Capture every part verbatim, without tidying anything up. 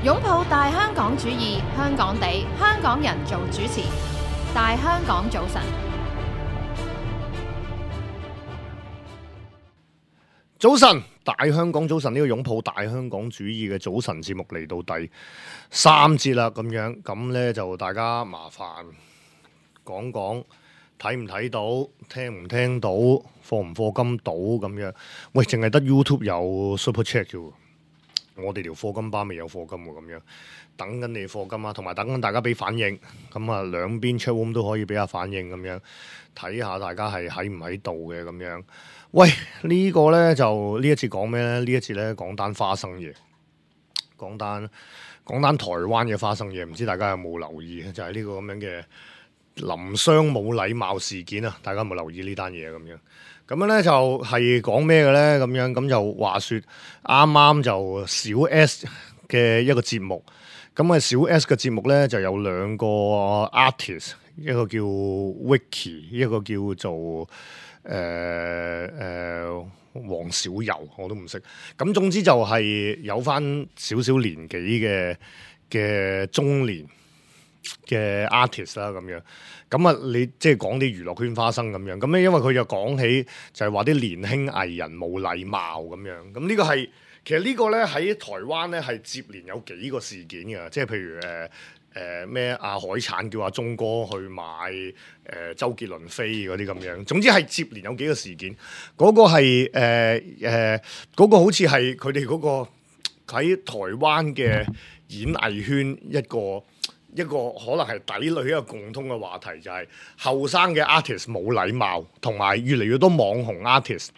擁抱大香港主義，香港地，香港人做主持。大香港早晨，早晨，大香港早晨，呢個擁抱大香港主義嘅早晨節目嚟到第三節啦，咁樣咁呢就大家麻煩講講睇唔睇到，聽唔聽到，課唔課金到咁樣。喂，淨係得 YouTube 有 Super Chat 啫喎，我哋條課金班未有課金喎，咁樣等緊你課金啊，同埋等緊大家俾反應。咁啊，兩邊 chat room 都可以俾下反應咁樣，睇下大家係喺唔喺度嘅咁樣。喂，呢、這個呢，就呢一次講咩呢？呢一次呢，講單花生嘢，講單講單台灣嘅花生嘢，唔知大家有冇留意？就係、是、呢個咁樣嘅林雙冇禮貌事件啊！大家有冇留意呢單嘢咁樣？咁樣咧就係講咩嘅咧？咁樣咁就話說啱啱就小 S 嘅一個節目，咁啊小 S 嘅節目咧就有兩個 artist， 一個叫 Vicky， 一個叫做誒誒黃小柔，我都唔識。咁總之就係有翻少少年紀嘅嘅中年嘅 artist 啦，咁樣咁啊，你即係講啲娛樂圈花生咁樣，咁咧因為佢就講起就係話啲年輕藝人冇禮貌咁樣，咁呢個係其實呢個咧喺台灣咧係接連有幾個事件嘅，即係譬如誒誒咩阿海產叫阿鐘哥去買誒、呃、周杰倫飛嗰啲咁樣，總之係接連有幾個事件，嗰、嗰個係誒誒嗰個好似係佢哋嗰個喺台灣嘅演藝圈一個。一個可能係底裏一個共通嘅話題，就係後生嘅 artist 冇禮貌，同埋越嚟越多網紅 artist，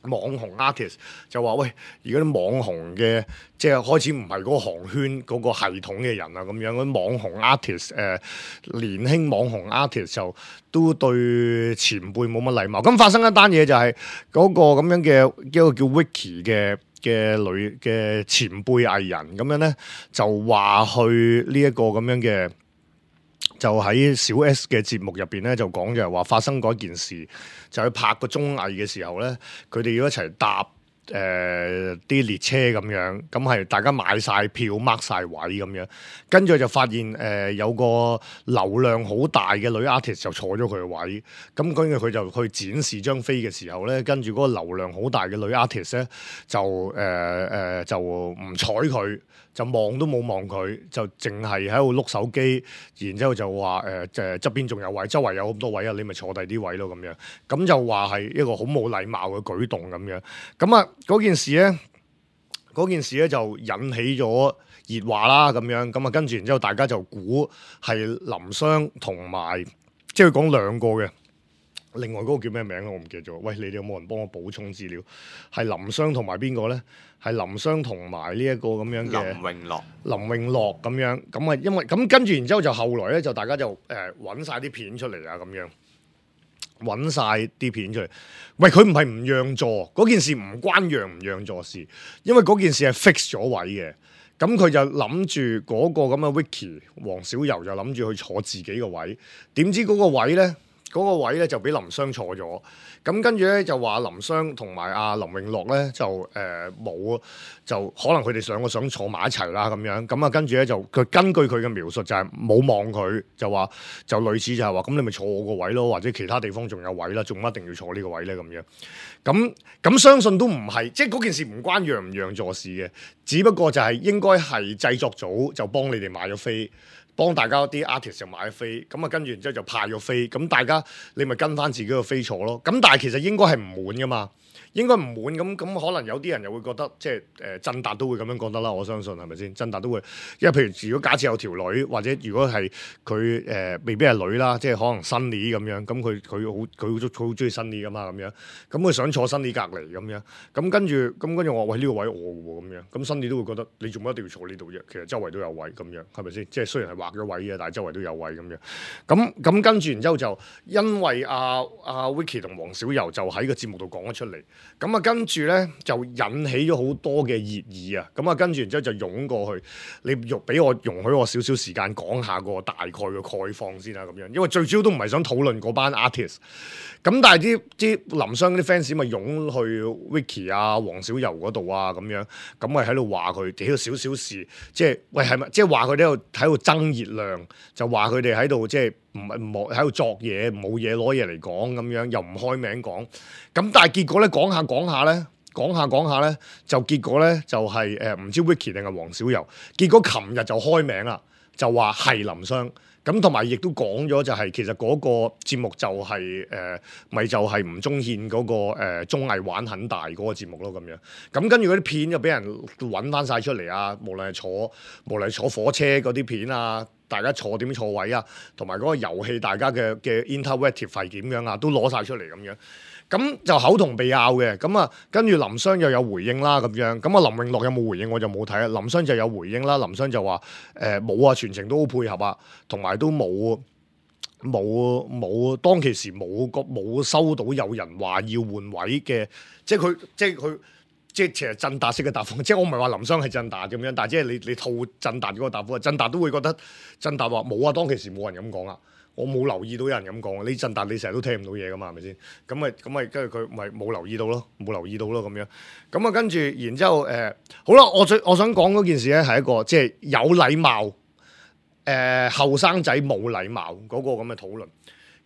網紅 artist 就話喂，而家啲網紅嘅即係開始唔係嗰個行圈嗰個系統嘅人啊，咁樣嗰啲網紅 artist 誒、呃、年輕網紅 artist 就都對前輩冇乜禮貌。咁發生一單嘢就係嗰個咁樣嘅一個叫 Vicky 嘅。嘅女嘅前輩藝人咁樣咧，就話去呢一個咁樣嘅，就喺小 S 嘅節目入邊咧，就講就係話發生過一件事，就去拍個綜藝嘅時候咧，佢哋要一齊搭誒啲、呃、列車咁樣，咁係大家買晒票 mark 晒位咁樣，跟住就發現誒、呃、有個流量好大嘅女 artist 就坐咗佢嘅位，咁跟住佢就去展示張飛嘅時候咧，跟住嗰個流量好大嘅女 artist 咧就誒誒、呃呃、就唔睬佢，就望都冇望佢，就淨係喺度碌手機，然之後就話誒誒側邊仲有位，周圍有咁多位啊，你咪坐第啲位咯咁樣，咁就話係一個好冇禮貌嘅舉動咁樣，咁啊嗰件事咧，嗰件事咧就引起咗熱話啦咁樣，咁啊跟住然之後大家就估係林雙同埋，即係講兩個嘅。另外嗰個叫咩名啊？我唔記得咗。喂，你哋有冇人幫我補充資料？係林雙同埋邊個咧？係林雙同埋呢一個咁樣嘅林永樂。林永樂咁樣，咁啊，因為咁跟住然之後就後來咧，就大家就誒揾晒啲片出嚟啊，咁樣揾晒啲片出嚟。喂，佢唔係唔讓座，嗰件事唔關讓唔讓座事，因為嗰件事係 fix 咗位嘅。咁佢就諗住嗰個咁嘅 Vicky 黃小柔就諗住去坐自己個位，點知嗰個位咧？嗰個位咧就俾林雙坐咗，咁跟住咧就話林雙同埋阿林永樂咧就誒冇、呃，就可能佢哋兩個想坐埋一齊啦咁樣，咁啊跟住咧就佢根據佢嘅描述就係冇望佢，就話就類似就係話咁你咪坐我個位咯，或者其他地方仲有位啦，仲一定要坐呢個位咧咁樣，咁咁相信都唔係，即係嗰件事唔關讓唔讓座事嘅，只不過就係應該係製作組就幫你哋買咗飛。幫大家啲 artist 就買咗飛，咁啊跟住然之後就派咗飛，咁大家你咪跟翻自己個飛坐咯。咁但係其實應該係唔滿噶嘛，應該唔滿咁咁可能有啲人又會覺得即係誒振達都會咁樣覺得啦。我相信係咪先？振達都會，因為譬如如果假設有條女或者如果係佢誒未必係女啦，即係可能 Sunny 咁樣，咁佢佢好佢好好中意 Sunny 噶嘛咁樣，咁佢想坐 Sunny 隔離咁樣，咁跟住咁跟住我話喂呢個位我嘅喎咁樣，咁 Sunny 都會覺得你做乜一定要坐呢度啫？其實周圍都有位咁樣，係咪先？即係雖然係劃咗位嘅，但係周圍都有位咁樣。咁咁跟住然之後就因為阿阿 Vicky 同黃小柔就喺個節目度講咗出嚟，咁啊跟住咧就引起咗好多嘅熱議啊，咁啊跟住然之後就湧過去，你容俾我容許我少少時間講下個大概嘅概況先啦，咁樣，因為最主要都唔係想討論嗰班 artist，咁但係啲啲林雙啲 fans 咪湧去 Vicky 啊、黃小柔嗰度啊咁樣，咁咪喺度話佢屌少少事，即係喂係咪即係話佢哋喺度喺度爭熱量，就話佢哋喺度即係唔係唔喺度作嘢，冇嘢攞嘢嚟講咁樣，又唔開名講，咁但係結果咧講下講下咧。講下講下咧，就結果咧就係誒唔知 Vicky 定係黃小柔，結果琴日就開名啦，就話係林雙，咁同埋亦都講咗就係、是、其實嗰個節目就係誒咪就係吳宗憲嗰個誒、呃、綜藝玩很大嗰個節目咯咁樣，咁跟住嗰啲片就俾人揾翻晒出嚟啊，無論係坐無論係坐火車嗰啲片啊，大家坐點坐位啊，同埋嗰個遊戲大家嘅嘅 interactive 係點樣啊，都攞晒出嚟咁樣。咁就口同鼻拗嘅，咁啊跟住林雙又有回應啦咁樣，咁啊林詠樂有冇回應我就冇睇啊，林雙就有回應啦，林雙就話誒冇啊，全程都好配合啊，同埋都冇冇冇當其時冇個冇收到有人話要換位嘅，即係佢即係佢即係其實振達式嘅答覆，即係我唔係話林雙係振達咁樣，但係即係你你套振達嗰個答覆，振達都會覺得振達話冇啊，當其時冇人咁講啊。我冇留意到有人咁講，呢陣但你成日都聽唔到嘢噶嘛，係咪先？咁咪咁咪跟住佢咪冇留意到咯，冇留意到咯咁樣。咁啊跟住，然之後誒、呃，好啦，我最我想講嗰件事咧係一個即係有禮貌誒後生仔冇禮貌嗰個咁嘅討論。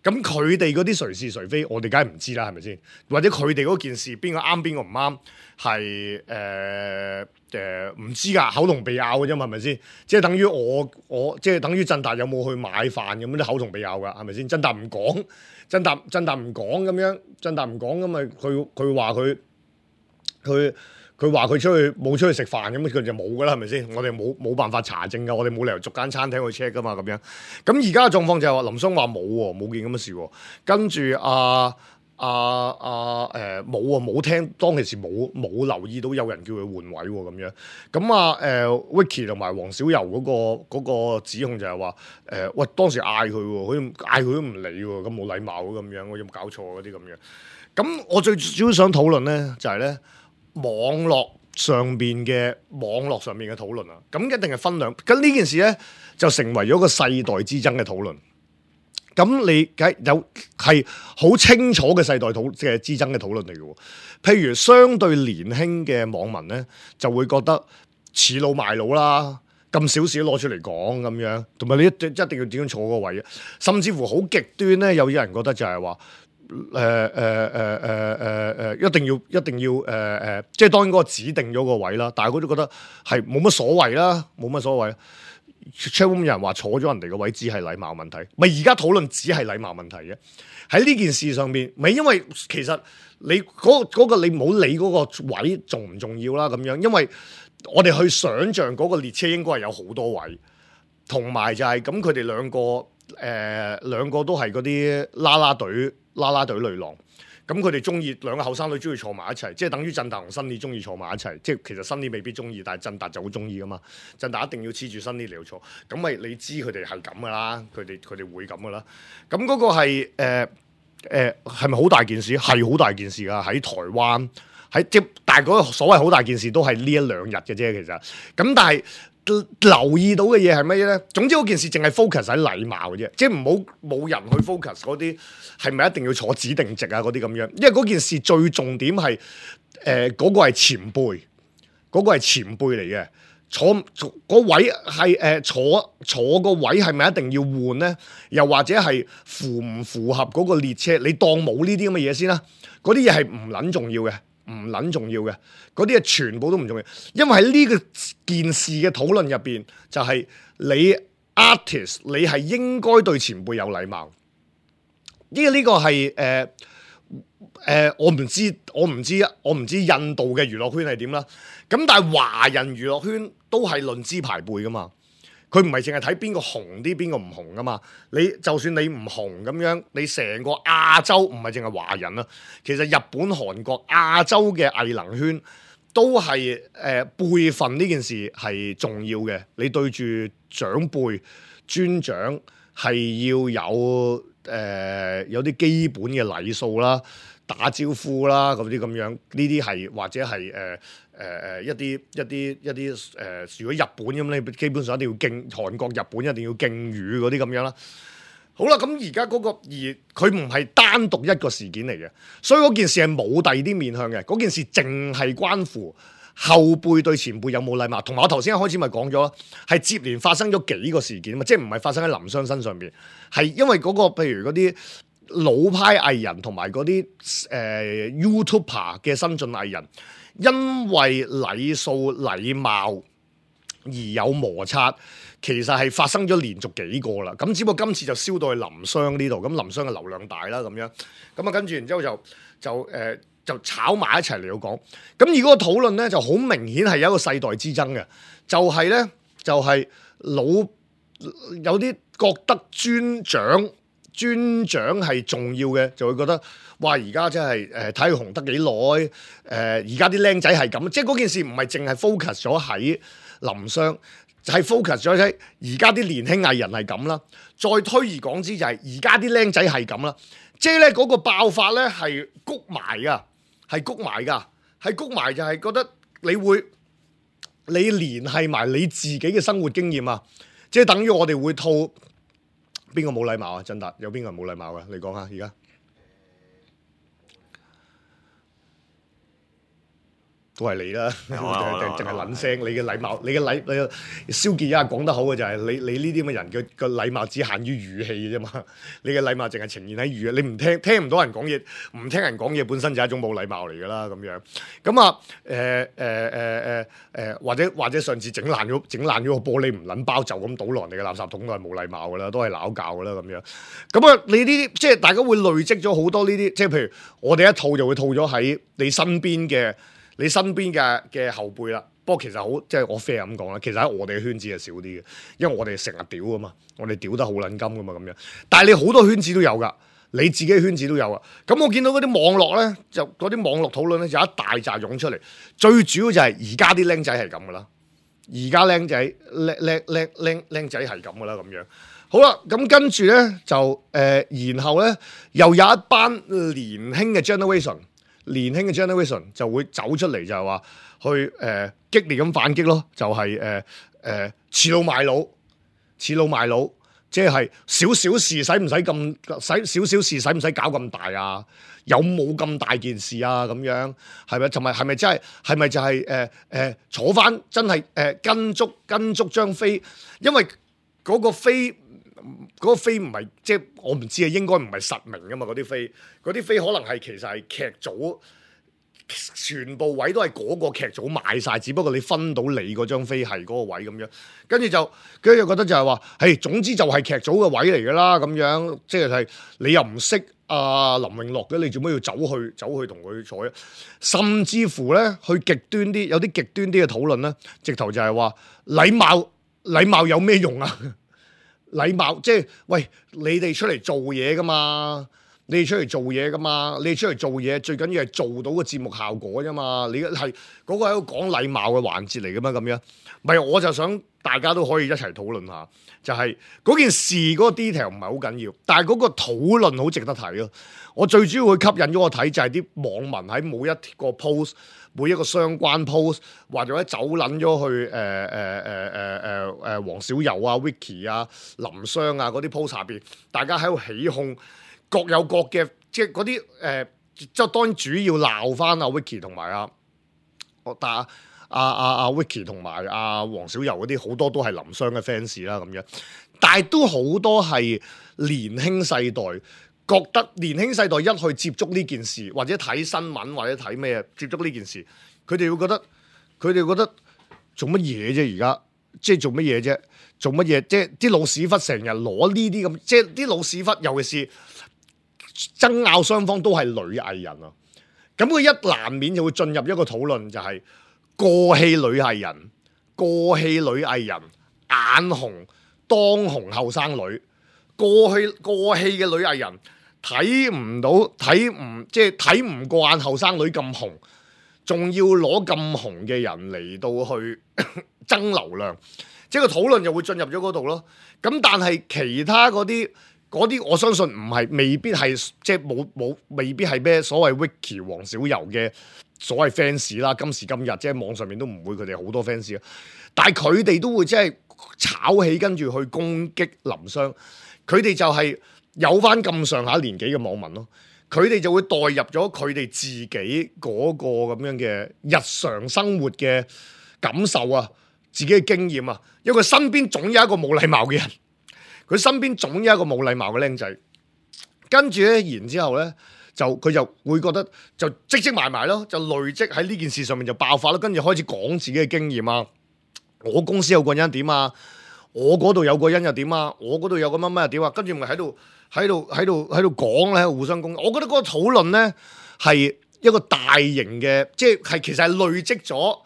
咁佢哋嗰啲誰是誰非，我哋梗係唔知啦，係咪先？或者佢哋嗰件事邊個啱邊個唔啱，係誒誒唔知㗎，口同鼻拗嘅啫嘛，係咪先？即係等於我我即係等於振達有冇去買飯咁啲口同鼻拗㗎，係咪先？振達唔講，振達振達唔講咁樣，振達唔講咁咪佢佢話佢佢。佢話佢出去冇出去食飯咁，佢就冇噶啦，係咪先？我哋冇冇辦法查證噶，我哋冇理由逐間餐廳去 check 噶嘛，咁樣。咁而家嘅狀況就係話林雙話冇喎，冇件咁嘅事喎。跟住阿阿阿誒冇啊，冇聽當其時冇冇留意到有人叫佢換位喎，咁樣。咁啊誒 Vicky 同埋黃小柔嗰個嗰個指控就係話誒喂當時嗌佢喎，佢嗌佢都唔理喎，咁冇禮貌咁樣，我有冇搞錯嗰啲咁樣。咁我最主要想討論咧就係咧。網絡上邊嘅網絡上邊嘅討論啊，咁一定係分兩，咁呢件事咧就成為咗個世代之爭嘅討論。咁你梗有係好清楚嘅世代討嘅之爭嘅討論嚟嘅。譬如相對年輕嘅網民咧，就會覺得恃老賣老啦，咁少事都攞出嚟講咁樣，同埋你一一定要點樣坐個位啊？甚至乎好極端咧，有啲人覺得就係話。誒誒誒誒誒誒，一定要一定要誒誒、呃呃，即係當然嗰個指定咗個位啦。但係佢都覺得係冇乜所謂啦，冇乜所謂。Chatroom 有人話坐咗人哋個位只係禮貌問題，咪而家討論只係禮貌問題嘅。喺呢件事上面，咪因為其實你嗰、嗰個嗰個你唔好理嗰個位重唔重要啦，咁樣，因為我哋去想像嗰個列車應該係有好多位，同埋就係咁佢哋兩個誒、呃、兩個都係嗰啲啦啦隊。啦啦隊女郎，咁佢哋中意兩個後生女中意坐埋一齊，即係等於振達同新李中意坐埋一齊，即係其實新李未必中意，但係振達就好中意噶嘛。振達一定要黐住新李嚟坐，咁咪你知佢哋係咁噶啦，佢哋佢哋會咁噶啦。咁嗰個係誒誒係咪好大件事？係好大件事噶，喺台灣喺即但係嗰個所謂好大件事都係呢一兩日嘅啫，其實咁但係。留意到嘅嘢係乜嘢咧？總之嗰件事淨係 focus 喺禮貌嘅啫，即係唔好冇人去 focus 嗰啲係咪一定要坐指定席啊嗰啲咁樣，因為嗰件事最重點係誒嗰個係前輩，嗰、嗰個係前輩嚟嘅，坐坐嗰位係誒、呃、坐坐個位係咪一定要換咧？又或者係符唔符合嗰個列車？你當冇呢啲咁嘅嘢先啦，嗰啲嘢係唔撚重要嘅。唔撚重要嘅，嗰啲嘢全部都唔重要，因為喺呢個件事嘅討論入邊，就係、是、你 artist，你係應該對前輩有禮貌。呢、這個呢個係誒誒，我唔知，我唔知，我唔知印度嘅娛樂圈係點啦。咁但係華人娛樂圈都係論資排輩噶嘛。佢唔係淨係睇邊個紅啲，邊個唔紅噶嘛？你就算你唔紅咁樣，你成個亞洲唔係淨係華人啦，其實日本、韓國、亞洲嘅藝能圈都係誒、呃、輩分呢件事係重要嘅。你對住長輩尊長係要有誒、呃、有啲基本嘅禮數啦。打招呼啦，嗰啲咁樣，呢啲係或者係誒誒誒一啲一啲一啲誒、呃，如果日本咁你基本上一定要敬韓國、日本一定要敬語嗰啲咁樣啦。好啦，咁而家嗰個而佢唔係單獨一個事件嚟嘅，所以嗰件事係冇第二啲面向嘅，嗰件事淨係關乎後輩對前輩有冇禮貌。同埋我頭先一開始咪講咗咯，係接連發生咗幾個事件啊嘛，即係唔係發生喺林湘身上邊，係因為嗰、嗰個譬如嗰啲老派藝人同埋嗰啲誒 YouTuber 嘅新進藝人，因為禮數禮貌而有摩擦。其實係發生咗連續幾個啦，咁只不過今次就燒到去林湘呢度，咁林湘嘅流量大啦咁樣，咁啊跟住然之後就就誒、呃、就炒埋一齊嚟到講，咁而嗰個討論咧就好明顯係有一個世代之爭嘅，就係、是、咧就係、是、老有啲覺得尊長尊長係重要嘅，就會覺得哇而家真係誒睇佢紅得幾耐，誒而家啲僆仔係咁，即係嗰件事唔係淨係 focus 咗喺林湘。就係 focus 咗喺而家啲年輕藝人係咁啦，再推而廣之就係而家啲僆仔係咁啦，即係咧嗰個爆發咧係谷埋噶，係谷埋噶，係谷埋就係覺得你會你聯繫埋你自己嘅生活經驗啊，即係等於我哋會套邊個冇禮貌啊？振達有邊個冇禮貌噶？你講下而家。都係你啦，淨係撚聲。你嘅禮貌，你嘅禮，你蕭傑一下講得好嘅就係你你呢啲咁嘅人嘅個禮貌只限於語氣嘅啫嘛。你嘅禮貌淨係呈現喺語，你唔聽聽唔到人講嘢，唔聽人講嘢本身就係一種冇禮貌嚟㗎啦咁樣。咁啊誒誒誒誒誒，或者或者上次整爛咗整爛咗個玻璃唔撚包就咁倒落人哋嘅垃圾桶都係冇禮貌㗎啦，都係鬧教㗎啦咁樣。咁啊，你呢啲即係大家會累積咗好多呢啲，即係譬如我哋一套就會套咗喺你身邊嘅。你身邊嘅嘅後輩啦，不過其實好即係我 fair 咁講啦，其實喺我哋嘅圈子係少啲嘅，因為我哋成日屌噶嘛，我哋屌得好撚金噶嘛咁樣。但係你好多圈子都有噶，你自己嘅圈子都有啊。咁我見到嗰啲網絡咧，就嗰啲網絡討論咧，就一大扎湧出嚟。最主要就係而家啲僆仔係咁噶啦，而家僆仔僆僆僆僆僆仔係咁噶啦咁樣。好啦，咁跟住咧就誒、呃，然後咧又有一班年輕嘅 generation。年輕嘅 generation 就會走出嚟就係話去誒、呃、激烈咁反擊咯，就係誒誒恃老賣老，恃老賣老，即係少少事使唔使咁使少少事使唔使搞咁大啊？有冇咁大件事啊？咁樣係咪？同埋係咪真係係咪就係誒誒坐翻真係誒、呃、跟足跟足張飛？因為嗰個飛。嗰個飛唔係即係我唔知啊，應該唔係實名噶嘛，嗰啲飛，嗰啲飛可能係其實係劇組全部位都係嗰個劇組買晒，只不過你分到你嗰張飛係嗰個位咁樣，跟住就跟住就覺得就係話，誒總之就係劇組嘅位嚟噶啦咁樣，即係係你又唔識阿林永樂嘅，你做咩要走去走去同佢坐？甚至乎咧，去極端啲，有啲極端啲嘅討論咧，直頭就係話禮貌禮貌有咩用啊？禮貌即係喂，你哋出嚟做嘢噶嘛？你哋出嚟做嘢噶嘛？你哋出嚟做嘢最緊要係做到個節目效果啫嘛？你係嗰個係一個講禮貌嘅環節嚟噶嘛？咁樣，唔係我就想大家都可以一齊討論下，就係、是、嗰件事嗰個 detail 唔係好緊要，但係嗰個討論好值得睇咯。我最主要會吸引咗我睇就係啲網民喺每一個 post。每一個相關 post 或者走撚咗去誒誒誒誒誒誒黃小柔啊、Vicky 啊、林湘啊嗰啲 post 下邊，大家喺度起哄，各有各嘅，即係嗰啲誒，即係當然主要鬧翻阿 Vicky 同埋阿我但阿阿阿阿 Vicky 同埋阿黃小柔嗰啲，好多都係林湘嘅 fans 啦咁樣，但係都好多係年輕世代。覺得年輕世代一去接觸呢件事，或者睇新聞，或者睇咩接觸呢件事，佢哋會覺得，佢哋覺得做乜嘢啫？而家即係做乜嘢啫？做乜嘢？即係啲老屎忽成日攞呢啲咁，即係啲老屎忽，尤其是爭拗雙方都係女藝人啊。咁佢一難免就會進入一個討論，就係過氣女藝人，過氣女藝人眼紅當紅後生女，過氣過氣嘅女藝人。睇唔到，睇唔即係睇唔慣後生女咁紅，仲要攞咁紅嘅人嚟到去爭流量，即係個討論就會進入咗嗰度咯。咁但係其他嗰啲嗰啲我相信唔係，未必係即係冇冇，未必係咩所謂 Vicky 黃小柔嘅所謂 fans 啦。今時今日即係網上面都唔會佢哋好多 fans 啊，但係佢哋都會即係炒起跟住去攻擊林湘，佢哋就係有翻咁上下年紀嘅網民咯。佢哋就會代入咗佢哋自己嗰個咁樣嘅日常生活嘅感受啊，自己嘅經驗啊，因為佢身邊總有一個冇禮貌嘅人，佢身邊總有一個冇禮貌嘅僆仔，跟住咧，然之後咧就佢就會覺得就積積埋埋咯，就累積喺呢件事上面就爆發咯，跟住開始講自己嘅經驗啊，我公司有個人點啊，我嗰度有個人又點啊，我嗰度有個乜乜又點啊，跟住咪喺度。喺度喺度喺度講咧，喺度互相攻擊。我覺得嗰個討論咧係一個大型嘅，即係其實係累積咗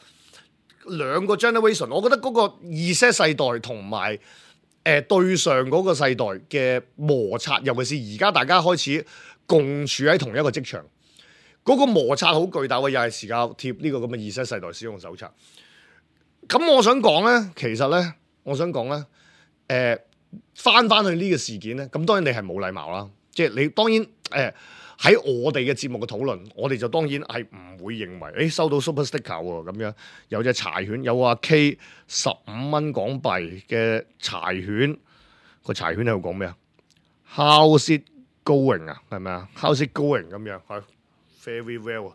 兩個 generation。我覺得嗰個 Z 世代同埋誒對上嗰個世代嘅摩擦，尤其是而家大家開始共處喺同一個職場，嗰、嗰個摩擦好巨大嘅，又係時間貼呢個咁嘅 Z 世代使用手冊。咁我想講咧，其實咧，我想講咧，誒、呃。翻翻去呢個事件咧，咁當然你係冇禮貌啦，即係你當然誒喺、呃、我哋嘅節目嘅討論，我哋就當然係唔會認為誒、欸、收到 super sticker 喎咁樣，有隻柴犬，有阿 K 十五蚊港幣嘅柴犬，個柴犬喺度講咩啊 ？How's it going 啊？係咪啊 ？How's it going 咁樣係 very well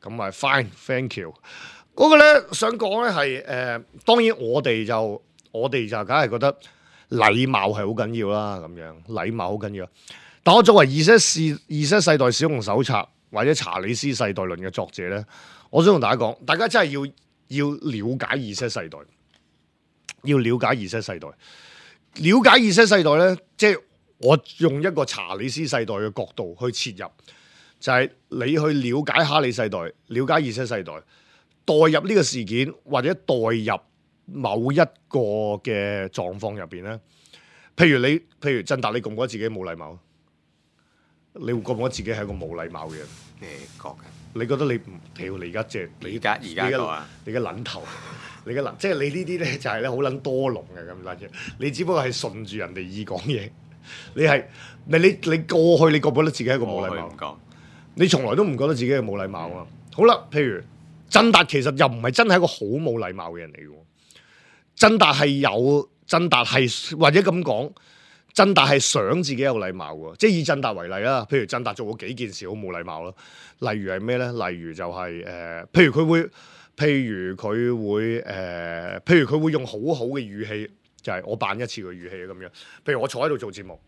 咁啊 fine，thank you。嗰個咧想講咧係誒，當然我哋就我哋就梗係覺得。禮貌係好緊要啦，咁樣禮貌好緊要。但我作為 Z 世 Z 世代使用手冊或者查理斯世代論嘅作者咧，我想同大家講，大家真係要要了解 Z 世代，要了解 Z 世代，了解 Z 世代咧，即係我用一個查理斯世代嘅角度去切入，就係你去了解哈利世代，了解 Z 世代，代入呢個事件或者代入。某一個嘅狀況入邊咧，譬如你，譬如振達，你覺唔覺得自己冇禮貌？你會覺唔覺得自己係一個冇禮貌嘅人？誒覺嘅。你覺得你唔屌你而家即係你而家而家個啊？你嘅撚頭，你嘅撚，即係你呢啲咧就係咧好撚多籠嘅咁撚嘢。你只不過係順住人哋意講嘢，你係你你你過去你覺唔覺得自己係一個冇禮貌？唔講，你從來都唔覺得自己係冇禮貌啊！好啦，譬如振達其實又唔係真係一個好冇禮貌嘅人嚟嘅。振達係有，振達係或者咁講，振達係想自己有禮貌嘅，即係以振達為例啦。譬如振達做過幾件事好冇禮貌咯，例如係咩咧？例如就係、是、誒、呃，譬如佢會，譬如佢會誒、呃，譬如佢會用好好嘅語氣，就係、是、我扮一次嘅語氣咁樣。譬如我坐喺度做節目，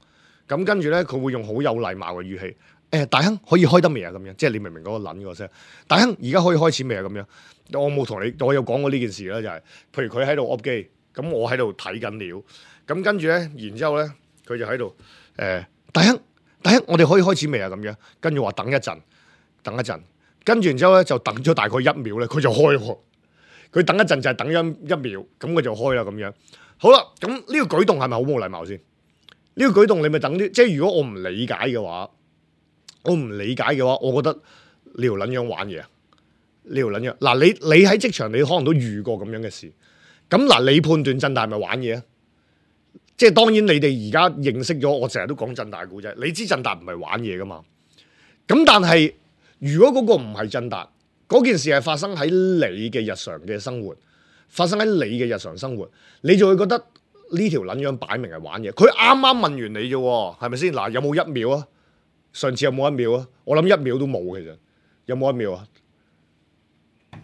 咁跟住咧佢會用好有禮貌嘅語氣，誒、呃、大亨可以開得未啊？咁樣，即係你明唔明嗰個撚個聲？大亨而家可以開始未啊？咁樣。我冇同你，我有講過呢件事啦，就係、是，譬如佢喺度 up 機，咁我喺度睇緊料，咁跟住咧，然之後咧，佢就喺度，誒、呃，大亨，大亨，我哋可以開始未啊？咁樣，跟住話等一陣，等一陣，跟住然之後咧就等咗大概一秒咧，佢就開喎，佢等一陣就係等一一秒，咁佢就開啦咁樣。好啦，咁呢個舉動係咪好冇禮貌先？呢、這個舉動你咪等啲，即係如果我唔理解嘅話，我唔理解嘅話，我覺得你條撚樣玩嘢啊！呢條撚樣嗱，你你喺職場你可能都遇過咁樣嘅事，咁嗱你判斷振達係咪玩嘢啊？即係當然你哋而家認識咗，我成日都講振達故仔，你知振達唔係玩嘢噶嘛？咁但係如果嗰個唔係振達，嗰件事係發生喺你嘅日常嘅生活，發生喺你嘅日常生活，你就會覺得呢條撚樣擺明係玩嘢。佢啱啱問完你啫，係咪先？嗱，有冇一秒啊？上次有冇一秒啊？我諗一秒都冇，其實有冇一秒啊？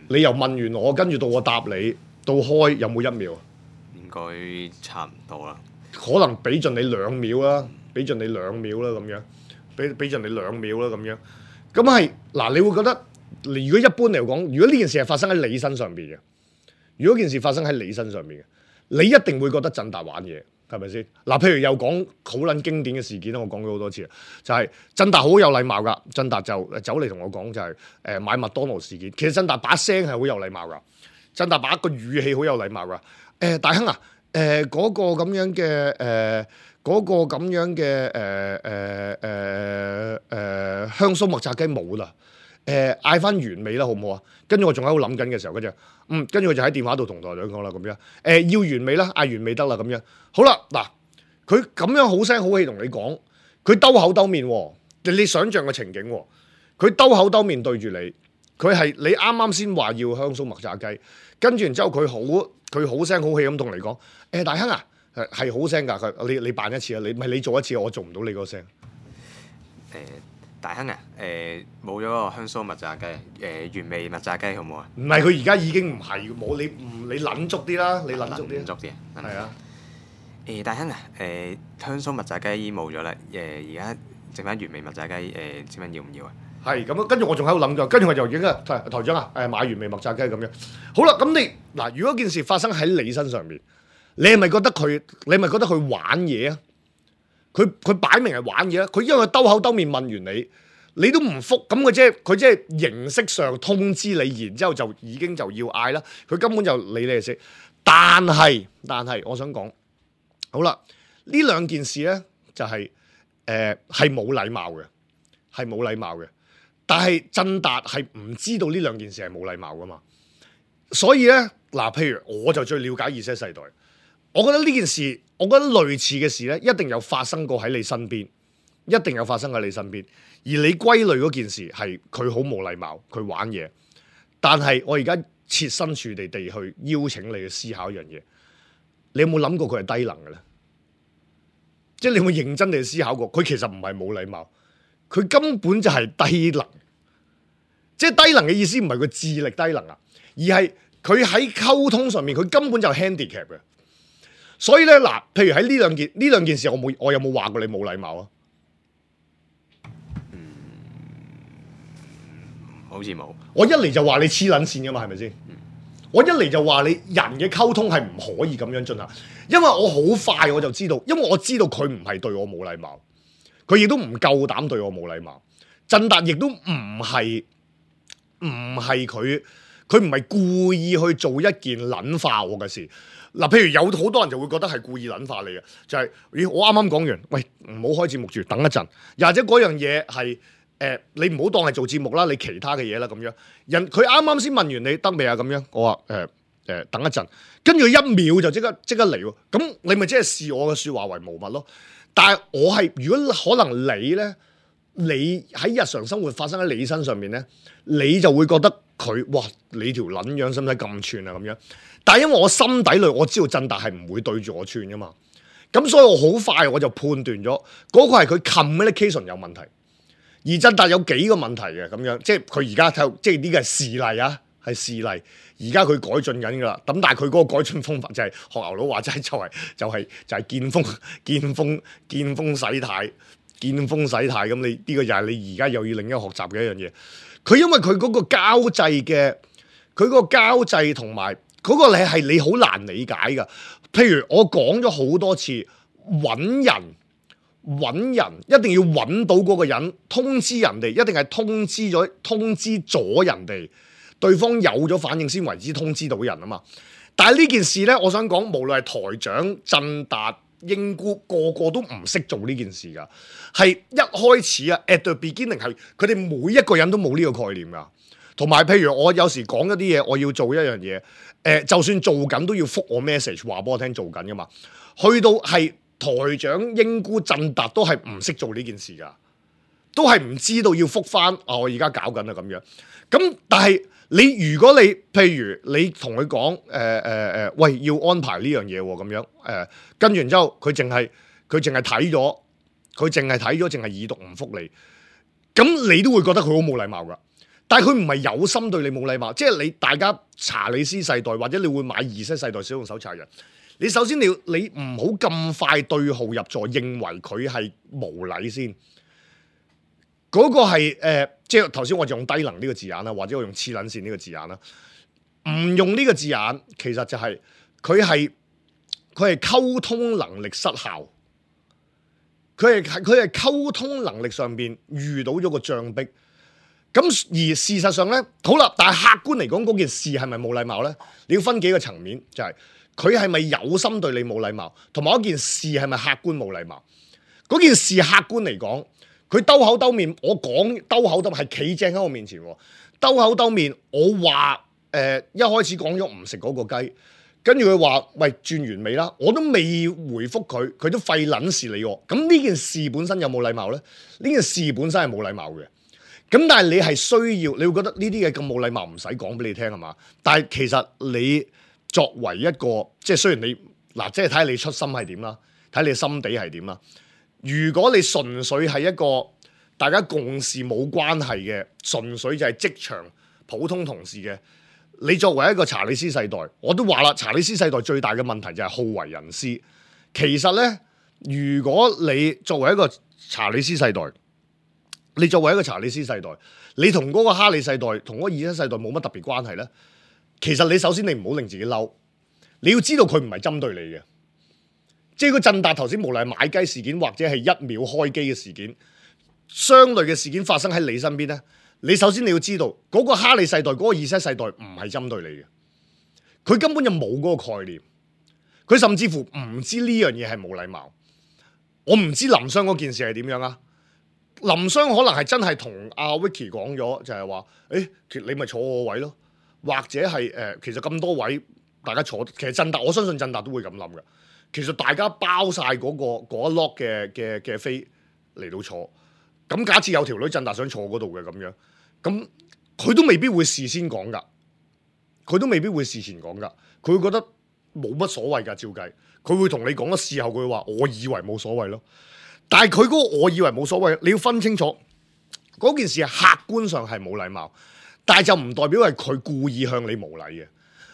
你又問完我，跟住到我答你，到開有冇一秒？應該差唔多啦。可能俾盡你兩秒啦，俾盡你兩秒啦咁樣，俾俾盡你兩秒啦咁樣。咁係嗱，你會覺得，如果一般嚟講，如果呢件事係發生喺你身上邊嘅，如果件事發生喺你身上邊嘅，你一定會覺得振達玩嘢，係咪先？嗱，譬如又講好撚經典嘅事件啦，我講咗好多次啊，就係振達好有禮貌噶，振達就走嚟同我講就係、是、誒、呃、買麥當勞事件。其實振達把聲係好有禮貌噶，振達把個語氣好有禮貌噶。誒、呃、大亨啊！誒嗰、呃那個咁樣嘅誒嗰個咁樣嘅誒誒誒誒香酥麥炸雞冇啦，誒嗌翻原味啦，好唔好啊？跟住我仲喺度諗緊嘅時候，跟住嗯，跟住佢就喺電話度同台長講啦，咁樣誒、呃、要原味啦，嗌原味得啦，咁樣好啦，嗱佢咁樣好聲好氣同你講，佢兜口兜面喎，你你想象個情景喎，佢兜口兜面對住你，佢係你啱啱先話要香酥麥炸雞，跟住然之後佢好佢好聲好氣咁同你講，誒、欸、大亨啊，係係好聲㗎，佢你你扮一次啊，你唔係你做一次，我做唔到你嗰聲。誒、大亨啊，誒冇咗個香酥麥炸雞，誒、原味麥炸雞好唔好啊？唔係佢而家已經唔係冇你唔你撚足啲啦，你撚足啲，撚足啲啊！係啊。誒、大亨啊，誒、香酥麥炸雞已經冇咗啦，誒而家剩翻原味麥炸雞，誒請問要唔要啊？係咁啊，跟住我仲喺度諗咗，跟住我就已經啊台台長啊，誒買原味麥炸雞咁樣。好啦，咁你嗱，如果件事發生喺你身上面，你係咪覺得佢？你係咪覺得佢玩嘢啊？佢佢擺明係玩嘢啊！佢因為佢兜口兜面問完你，你都唔覆，咁佢即係佢即係形式上通知你，然之後就已經就要嗌啦。佢根本就理你哋識。但係但係，我想講，好啦，呢兩件事咧就係誒係冇禮貌嘅，係冇禮貌嘅。但係振達係唔知道呢兩件事係冇禮貌噶嘛，所以咧嗱，譬如我就最了解 Z 世代，我覺得呢件事，我覺得類似嘅事咧，一定有發生過喺你身邊，一定有發生喺你身邊，而你歸類嗰件事係佢好冇禮貌，佢玩嘢。但係我而家設身處地地去邀請你去思考一樣嘢，你有冇諗過佢係低能嘅咧？即係你有冇認真地思考過，佢其實唔係冇禮貌。佢根本就係低能，即係低能嘅意思唔係佢智力低能啊，而係佢喺溝通上面佢根本就 handicap 嘅。所以咧嗱，譬如喺呢兩件呢兩件事，我冇我有冇話過你冇禮貌啊？嗯，好似冇。我一嚟就話你黐撚線噶嘛，係咪先？嗯、我一嚟就話你人嘅溝通係唔可以咁樣進行，因為我好快我就知道，因為我知道佢唔係對我冇禮貌。佢亦都唔夠膽對我冇禮貌，振達亦都唔係唔係佢，佢唔係故意去做一件撚化我嘅事。嗱，譬如有好多人就會覺得係故意撚化你嘅，就係、是、咦，我啱啱講完，喂，唔好開節目住，等一陣，又或者嗰樣嘢係誒，你唔好當係做節目啦，你其他嘅嘢啦咁樣。人佢啱啱先問完你得未啊？咁樣，我話誒誒，等一陣，跟住一秒就即刻即刻嚟喎，咁你咪即係視我嘅説話為無物咯。但係我係如果可能你咧，你喺日常生活發生喺你身上面咧，你就會覺得佢哇，你條撚樣使唔使咁串啊咁樣？但係因為我心底裏我知道振達係唔會對住我串噶嘛，咁所以我好快我就判斷咗嗰個係佢 communication 有問題，而振達有幾個問題嘅咁樣，即係佢而家睇，即係呢個係事例啊，係事例。而家佢改進緊㗎啦，咁但係佢嗰個改進方法就係學牛佬話齋，就係就係就係見風見風見風使態，見風使態。咁你呢個又係你而家又要另一個學習嘅一樣嘢。佢因為佢嗰個交際嘅，佢嗰個交際同埋嗰個你係你好難理解㗎。譬如我講咗好多次，揾人揾人一定要揾到嗰個人，通知人哋，一定係通知咗通知咗人哋。對方有咗反應先為之通知到人啊嘛，但係呢件事呢，我想講，無論係台長、振達、英姑，個個都唔識做呢件事噶，係一開始啊 ，at the beginning 係佢哋每一個人都冇呢個概念噶，同埋譬如我有時講一啲嘢，我要做一樣嘢，誒、呃，就算做緊都要覆我 message 話俾我聽做緊噶嘛，去到係台長、英姑、振達都係唔識做呢件事噶，都係唔知道要覆返啊！我而家搞緊啊咁樣，咁但係。你如果你譬如你同佢講誒誒誒，喂要安排呢樣嘢喎咁樣誒，跟住然之後佢淨係佢淨係睇咗，佢淨係睇咗，淨係已讀唔覆你，咁你都會覺得佢好冇禮貌噶。但係佢唔係有心對你冇禮貌，即係你大家查理斯世代或者你會買二世世代使用手冊人，你首先你要你唔好咁快對號入座，認為佢係無禮先。嗰個係誒、呃，即係頭先我就用低能呢個字眼啦，或者我用黐撚線呢個字眼啦。唔用呢個字眼，其實就係佢係佢係溝通能力失效，佢係佢係溝通能力上邊遇到咗個障壁。咁而事實上咧，好啦，但係客觀嚟講，嗰件事係咪冇禮貌咧？你要分幾個層面，就係佢係咪有心對你冇禮貌，同埋嗰件事係咪客觀冇禮貌？嗰件事客觀嚟講。佢兜口兜面，我講兜口兜面係企正喺我面前喎。兜口兜面，我話誒、呃、一開始講咗唔食嗰個雞，跟住佢話：喂，轉完未啦？我都未回覆佢，佢都費撚事理我。咁呢件事本身有冇禮貌咧？呢件事本身係冇禮貌嘅。咁但係你係需要，你會覺得呢啲嘢咁冇禮貌，唔使講俾你聽係嘛？但係其實你作為一個，即係雖然你嗱，即係睇下你出心係點啦，睇你心地係點啦。如果你純粹係一個大家共事冇關係嘅，純粹就係職場普通同事嘅，你作為一個查理斯世代，我都話啦，查理斯世代最大嘅問題就係好為人師。其實呢，如果你作為一個查理斯世代，你作為一個查理斯世代，你同嗰個哈利世代同嗰個二世世代冇乜特別關係呢，其實你首先你唔好令自己嬲，你要知道佢唔係針對你嘅。即係個振達頭先無論係買雞事件或者係一秒開機嘅事件，相類嘅事件發生喺你身邊呢，你首先你要知道嗰個哈利世代嗰個二世世代唔係針對你嘅，佢根本就冇嗰個概念，佢甚至乎唔知呢樣嘢係冇禮貌。我唔知林雙嗰件事係點樣啊？林雙可能係真係同阿 Vicky 講咗，就係話，誒，你咪坐我位咯，或者係誒、呃，其實咁多位大家坐，其實振達我相信振達都會咁諗嘅。其實大家包晒嗰、嗰個嗰一 lot 嘅嘅嘅飛嚟到坐，咁假設有條女振達想坐嗰度嘅咁樣，咁佢都未必會事先講噶，佢都未必會事前講噶，佢會覺得冇乜所謂噶，照計，佢會同你講咗事後佢話，我以為冇所謂咯。但係佢嗰個我以為冇所謂，你要分清楚嗰件事係客觀上係冇禮貌，但係就唔代表係佢故意向你無禮嘅。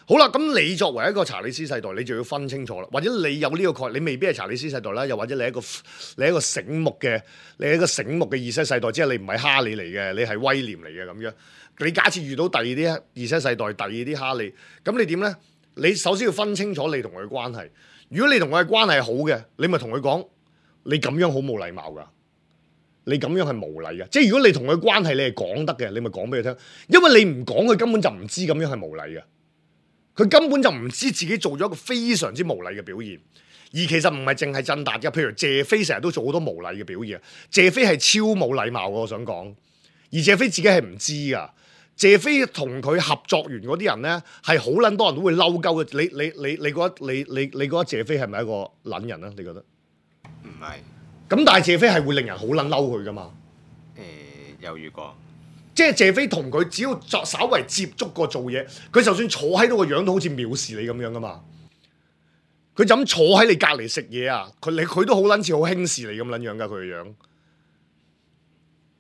好啦，咁你作為一個查理斯世代，你就要分清楚啦。或者你有呢個概念，你未必係查理斯世代啦，又或者你係一個你係一個醒目嘅，你係一個醒目嘅二世世代，即係你唔係哈利嚟嘅，你係威廉嚟嘅咁樣。你假設遇到第二啲二世世代，第二啲哈利，咁你點呢？你首先要分清楚你同佢嘅關係。如果你同佢嘅關係好嘅，你咪同佢講。你咁樣好冇禮貌噶，你咁樣係無禮嘅。即係如果你同佢關係你係講得嘅，你咪講俾佢聽。因為你唔講，佢根本就唔知咁樣係無禮嘅。佢根本就唔知自己做咗一個非常之無禮嘅表現。而其實唔係淨係振達嘅，譬如謝飛成日都做好多無禮嘅表現。謝飛係超冇禮貌嘅，我想講。而謝飛自己係唔知噶。謝飛同佢合作完嗰啲人咧，係好撚多人都會嬲鳩嘅。你你你你覺得你你你覺得謝飛係咪一個撚人啊？你覺得？唔係，咁但係謝飛係會令人好撚嬲佢噶嘛？誒、呃、有遇過，即係謝飛同佢只要作稍為接觸過做嘢，佢就算坐喺度個樣都好似藐視你咁樣噶嘛。佢就咁坐喺你隔離食嘢啊，佢你佢都好撚似好輕視你咁撚樣噶佢個樣。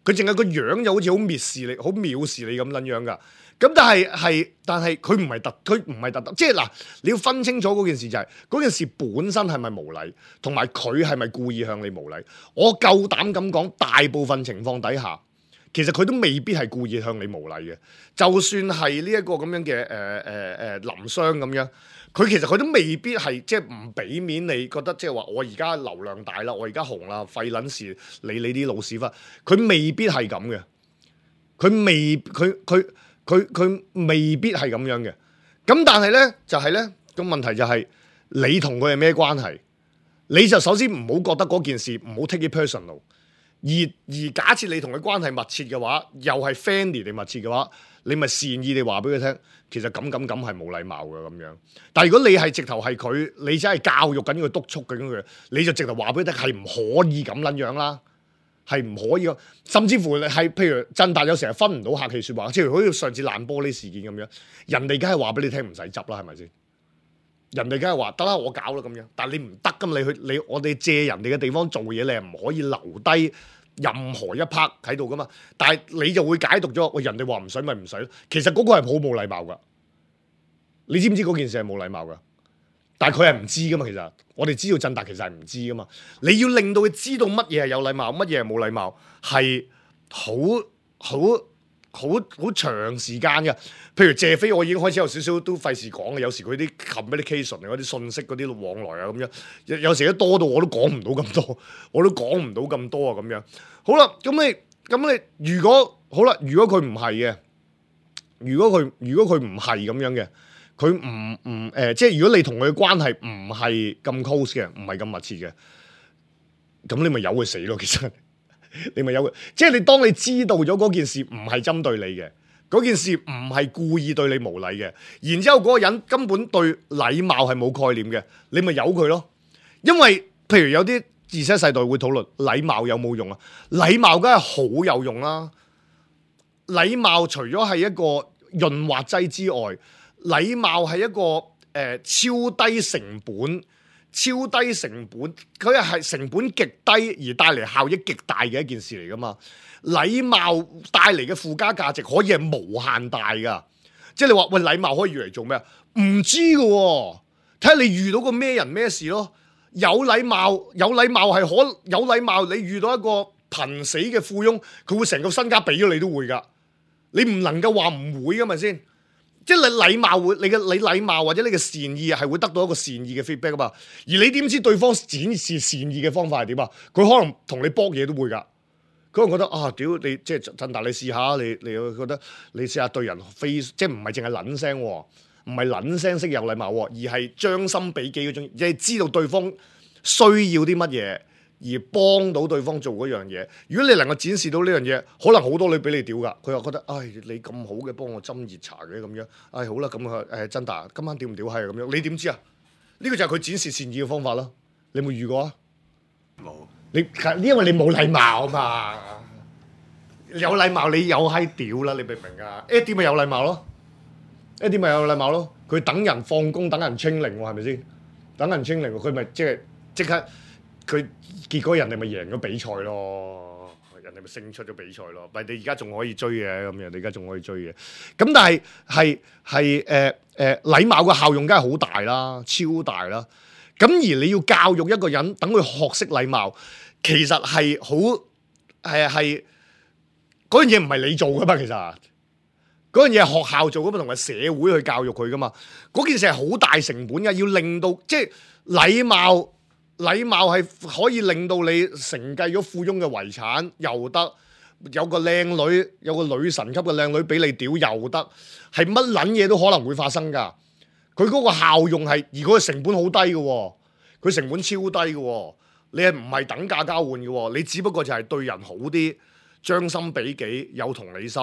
佢淨係個樣就好似好蔑視你、好藐視你咁撚樣噶。咁但係係，但係佢唔係特，佢唔係特登，即係嗱，你要分清楚嗰件事就係、是、嗰件事本身係咪無禮，同埋佢係咪故意向你無禮？我夠膽咁講，大部分情況底下，其實佢都未必係故意向你無禮嘅。就算係呢一個咁樣嘅誒誒誒林雙咁樣，佢其實佢都未必係即係唔俾面你，覺得即係話我而家流量大啦，我而家紅啦，廢撚事理你啲老屎忽，佢未必係咁嘅，佢未佢佢。佢佢未必係咁樣嘅，咁但係咧就係咧個問題就係、是、你同佢係咩關係？你就首先唔好覺得嗰件事唔好 take it personal，而而假設你同佢關係密切嘅話，又係 friendly 定密切嘅話，你咪善意地話俾佢聽，其實咁咁咁係冇禮貌嘅咁樣。但係如果你係直頭係佢，你真係教育緊佢、督促緊佢，你就直頭話俾佢聽係唔可以咁撚樣啦。係唔可以，甚至乎係譬如振達有成日分唔到客氣説話，即係好似上次爛玻璃事件咁樣，人哋梗係話俾你聽唔使執啦，係咪先？人哋梗係話得啦，我搞啦咁樣，但係你唔得咁，你去你我哋借人哋嘅地方做嘢，你係唔可以留低任何一 part 喺度噶嘛。但係你就會解讀咗，喂，人哋話唔使咪唔使咯。其實嗰個係好冇禮貌噶，你知唔知嗰件事係冇禮貌噶？但係佢係唔知噶嘛，其實我哋知道振達其實係唔知噶嘛。你要令到佢知道乜嘢係有禮貌，乜嘢係冇禮貌，係好好好好長時間嘅。譬如謝飛，我已經開始有少少都費事講嘅。有時佢啲 communication 嗰啲信息嗰啲往來啊咁樣，有有時都多到我都講唔到咁多，我都講唔到咁多啊咁樣。好啦，咁你咁你如果好啦，如果佢唔係嘅，如果佢如果佢唔係咁樣嘅。佢唔唔誒，即係如果你同佢嘅關係唔係咁 close 嘅，唔係咁密切嘅，咁你咪由佢死咯。其實你咪由佢，即係你當你知道咗嗰件事唔係針對你嘅，嗰件事唔係故意對你無禮嘅，然之後嗰個人根本對禮貌係冇概念嘅，你咪由佢咯。因為譬如有啲Z世代會討論禮貌有冇用啊？禮貌梗係好有用啦。禮貌除咗係一個潤滑劑之外，禮貌係一個誒、呃、超低成本、超低成本，佢係成本極低而帶嚟效益極大嘅一件事嚟噶嘛。禮貌帶嚟嘅附加價值可以係無限大噶，即係你話喂，禮貌可以用嚟做咩啊？唔知噶喎，睇下你遇到個咩人咩事咯。有禮貌，有禮貌係可有禮貌，你遇到一個瀕死嘅富翁，佢會成個身家俾咗你都會噶。你唔能夠話唔會噶嘛先，即係你禮貌會，你嘅你禮貌或者你嘅善意係會得到一個善意嘅 feedback 噶嘛。而你點知對方展示善意嘅方法係點啊？佢可能同你搏嘢都會噶。佢可能覺得啊，屌你即係振達，你試下你你會覺得你試下對人非即係唔係淨係撚聲，唔係撚聲識有禮貌，而係將心比己嗰種，即係知道對方需要啲乜嘢而幫到對方做嗰樣嘢。如果你能夠展示到呢樣嘢，可能好多女俾你屌噶。佢又覺得唉、哎，你咁好嘅幫我斟熱茶嘅咁樣，唉、哎、好啦，咁啊誒振達今晚屌唔屌係咁樣？你點知啊？呢、這個就係佢展示善意嘅方法啦。你有冇遇過啊？冇。你因為你冇禮貌啊嘛，有禮貌你有閪屌啦，你明唔明啊？Eddie咪有禮貌咯 ，Eddie咪有禮貌咯。佢等人放工，等人清零喎，係咪先？等人清零，佢咪即係即刻，佢結果人哋咪贏咗比賽咯，人哋咪勝出咗比賽咯。咪你而家仲可以追嘅咁樣，你而家仲可以追嘅。咁但係係係誒誒禮貌嘅效用梗係好大啦，超大啦。咁而你要教育一個人，等佢學識禮貌。其實係好係係嗰樣嘢唔係你做噶嘛，其實嗰樣嘢係學校做噶嘛，同埋社會去教育佢噶嘛。嗰件事係好大成本嘅，要令到即係禮貌，禮貌係可以令到你承繼咗富翁嘅遺產又得，有個靚女，有個女神級嘅靚女俾你屌又得，係乜撚嘢都可能會發生噶。佢嗰個效用係，而嗰個成本好低嘅，佢成本超低嘅。你係唔係等價交換嘅喎？你只不過就係對人好啲，將心比己，有同理心，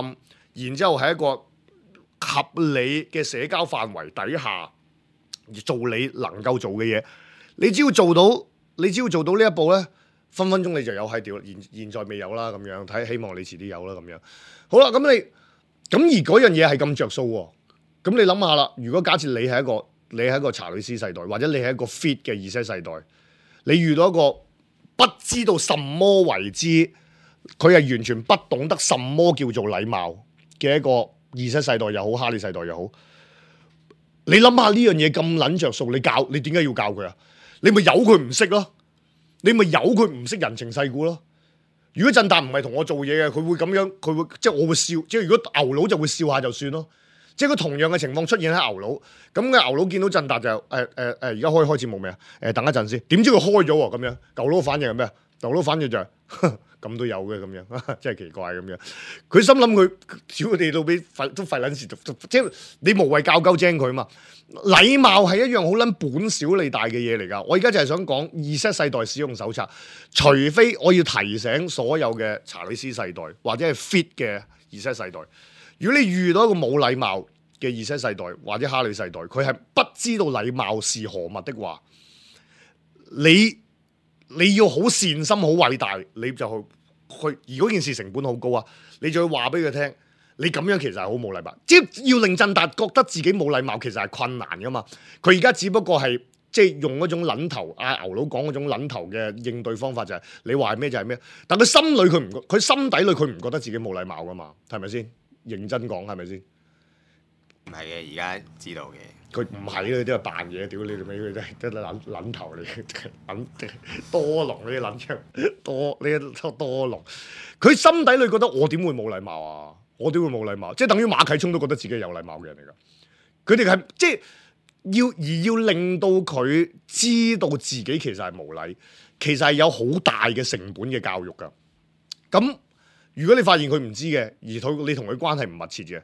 然之後喺一個合理嘅社交範圍底下而做你能夠做嘅嘢。你只要做到，你只要做到呢一步咧，分分鐘你就有喺屌。現現在未有啦，咁樣睇，希望你遲啲有啦，咁樣。好啦，咁你咁而嗰樣嘢係咁着數喎。咁你諗下啦，如果假設你係一個你係一個查理斯世代，或者你係一個 fit 嘅Z世代。你遇到一個不知道什麼為之，佢係完全不懂得什麼叫做禮貌嘅一個Z世代又好，哈利世代又好，你諗下呢樣嘢咁撚着數，你教你點解要教佢啊？你咪由佢唔識咯，你咪由佢唔識人情世故咯。如果振達唔係同我做嘢嘅，佢會咁樣，佢會即係我會笑，即係如果牛佬就會笑下就算咯。即係佢同樣嘅情況出現喺牛佬，咁嘅牛佬見到振達就誒誒誒，而家開開始冇咩啊？誒等一陣先，點知佢開咗喎咁樣？牛佬反應係咩啊？牛佬反應就係、是、咁都有嘅咁樣，真係奇怪咁樣。佢心諗佢屌佢哋到俾費都費撚事，即係你無謂教鳩精佢嘛。禮貌係一樣好撚本小利大嘅嘢嚟㗎。我而家就係想講Z世代使用手冊，除非我要提醒所有嘅查理斯世代或者係 fit 嘅Z世代。如果你遇到一個冇禮貌嘅Z世代或者哈利世代，佢係不知道禮貌是何物的話，你你要好善心好偉大，你就去去而嗰件事成本好高啊！你就要話俾佢聽，你咁樣其實係好冇禮貌，即係要令振達覺得自己冇禮貌，其實係困難噶嘛。佢而家只不過係即係用嗰種撚頭啊牛佬講嗰種撚頭嘅應對方法，就係你話咩就係咩，但佢心裏佢唔佢心底裏佢唔覺得自己冇禮貌噶嘛，係咪先？認真講係咪先？唔係嘅，而家知道嘅。佢唔係嘅，都係扮嘢，屌你條尾，佢真係得撚撚頭嚟嘅，撚多龍呢啲撚槍，多呢一多龍。佢心底裏覺得我點會冇禮貌啊？我點會冇禮貌？即係等於馬啟聰都覺得自己係有禮貌嘅人嚟㗎。佢哋係即係要而要令到佢知道自己其實係無禮，其實係有好大嘅成本嘅教育㗎。咁如果你發現佢唔知嘅，而佢你同佢關係唔密切嘅，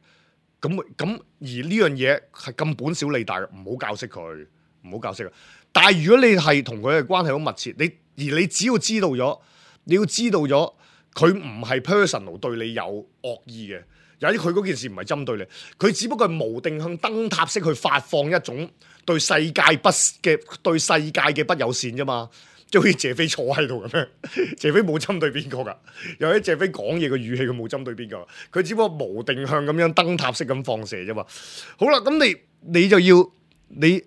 咁咁而呢樣嘢係咁本小利大嘅，唔好教識佢，唔好教識佢。但係如果你係同佢嘅關係好密切，你而你只要知道咗，你要知道咗佢唔係 personal 對你有惡意嘅，有啲佢嗰件事唔係針對你，佢只不過係無定向燈塔式去發放一種對世界不嘅對世界嘅不友善啫嘛。即係好似謝飛坐喺度咁樣，謝飛冇針對邊個㗎，又喺謝飛講嘢嘅語氣佢冇針對邊個，佢只不過無定向咁樣燈塔式咁放射啫嘛。好啦，咁你你就要你，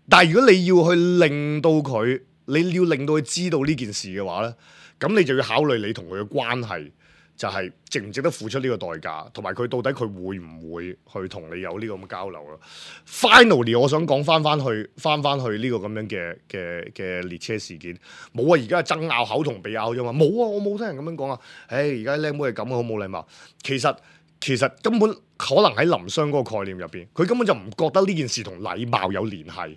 但係如果你要去令到佢，你要令到佢知道呢件事嘅話咧，咁你就要考慮你同佢嘅關係。就係值唔值得付出呢個代價，同埋佢到底佢會唔會去同你有呢個咁嘅交流咯 ？Finally， 我想講翻翻去，翻翻去呢個咁樣嘅嘅嘅列車事件，冇啊！而家係爭拗口同鼻拗啫嘛，冇啊！我冇聽人咁樣講啊！唉，而家靚妹係咁，好冇禮貌。其實其實根本可能喺林雙嗰個概念入邊，佢根本就唔覺得呢件事同禮貌有聯繫，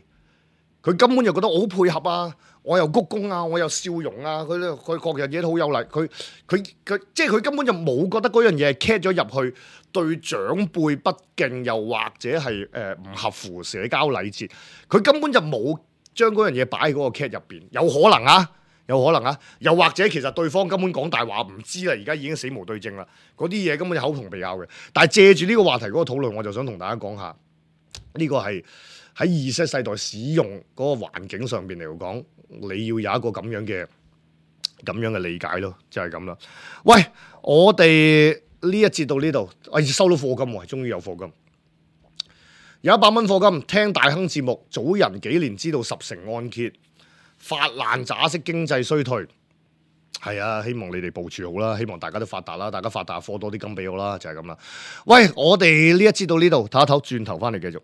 佢根本就覺得我好配合啊！我又鞠躬啊，我又笑容啊，佢咧佢各樣嘢都好有禮，佢佢佢即係佢根本就冇覺得嗰樣嘢係 cat 咗入去對長輩不敬，又或者係誒唔合乎社交禮節，佢根本就冇將嗰樣嘢擺喺嗰個 cat 入邊，有可能啊，有可能啊，又或者其實對方根本講大話唔知啦，而家已經死無對證啦，嗰啲嘢根本就口同鼻拗嘅。但係借住呢個話題嗰個討論，我就想同大家講下呢個係喺 Z 世代使用嗰個環境上邊嚟講。你要有一個咁樣嘅咁樣嘅理解咯，就係咁啦。喂，我哋呢一節到呢度，我收到課金喎，終於有課金，有一百蚊課金。聽大亨節目，早人幾年知道十成按揭，發爛渣式經濟衰退。係啊，希望你哋部署好啦，希望大家都發達啦，大家發達課多啲金俾我啦，就係咁啦。喂，我哋呢一節到呢度，唞一唞，轉頭翻嚟繼續。